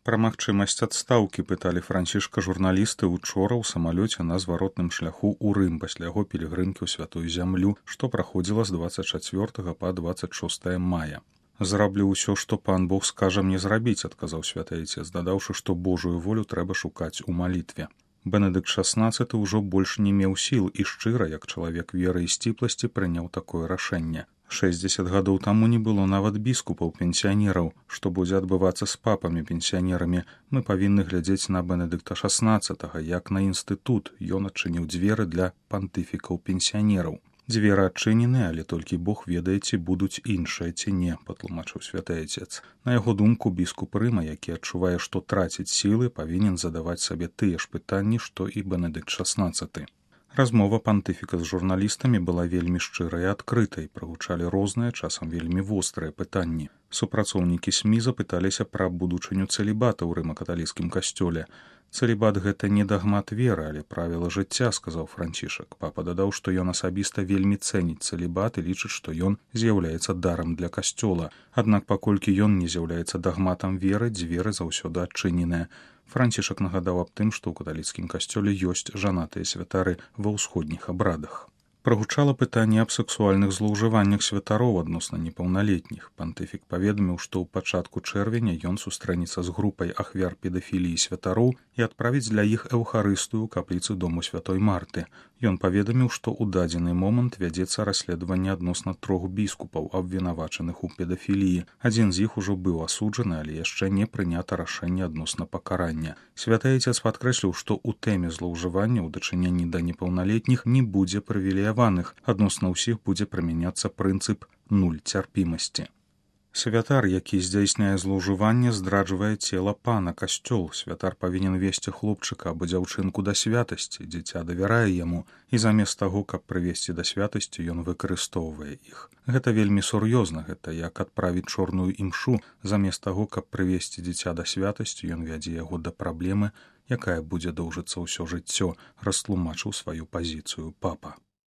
Пра магчымасць адстаўкі пыталі Францішка журналісты учора ў самалёце на зваротным шляху ў Рым пасля яго пілігрымкі ў святую зямлю, што праходзіла з 24 па 26 мая. «Зраблю ўсё, што пан Бог скажа мне зрабіць», — адказаў святы айцец, дадаўшы, што Божую волю трэба шукаць у малітве. Бенедыкт XVI ўжо больш не меў сіл і шчыра, як чалавек веры і сціпласці, прыняў такое рашэнне. 60 гадоў таму не было нават біскупаў-пенсіянераў. Што будзе адбывацца з папамі-пенсіянерамі, мы павінны глядзець на Бенедыкта XVI, як на інстытут. Ён адчыніў дзверы для пантыфікаў-пенсіянераў. Дзверы адчынены, але толькі Бог ведае, ці будуць іншыя ці не, патлумачыў святы айцец. На яго думку, біскуп Рыма, які адчувае, што траціць сілы, павінен задаваць сабе тыя ж пытанні, што і Бенедыкт XVI. Размова пантыфіка з журналістамі была вельмі шчырай і адкрытай, прагучалі розныя, часам вельмі вострыя пытанні. Супрацоўнікі СМІ запыталіся пра будучыню цэлібата ў рыма-каталіцкім касцёле. «Цэлібат — гэта не дагмат веры, але правіла жыцця», — сказаў Францішак. Папа дадаў, што ён асабіста вельмі цэніць цэлібат і лічыць, што ён з'яўляецца дарам для касцёла. Аднак паколькі ён не з'яўляецца дагматам веры, дзверы заўсёды адчыненыя. Францішак нагадаў аб тым, што ў каталіцкім касцёле ёсць жанатыя святары ва ўсходніх абрадах. Прагучала пытанне аб сексуальных злоўжываннях святароў адносна непаўналетніх. Пантыфік паведаміў, што ў пачатку чэрвеня ён сустрэнецца з групай ахвяр педафіліі святароў і адправіць для іх эўхарыстыю ў капліцы дому святой Марты. Ён паведаміў, што ў дадзены момант вядзецца расследаванне адносна 3 біскупаў, абвінавачаных у педафіліі. Адзін з іх ужо быў асуджаны, але яшчэ не прынята рашэнне адносна пакарання. Святы айцец падкрэсліў, што ў тэме злоўжывання ў дачыненні да непаўналетніх не будзе прывілеяваных. Адносна ўсіх будзе прымяняцца прынцып нуль цярпімасці. Святар, які здзяйсняе злоўжыванне, здраджвае цела пана, касцёл. Святар павінен весці хлопчыка або дзяўчынку да святасці. Дзіця давярае яму, і замест таго, каб прывесці да святасці, ён выкарыстоўвае іх. Гэта вельмі сур'ёзна, гэта як адправіць чорную імшу. Замест таго, каб прывесці дзіця да святасці, ён вядзе яго да праблемы, якая будзе доўжыцца ўсё жыццё, растлумачыў сваю пазіцыю папа.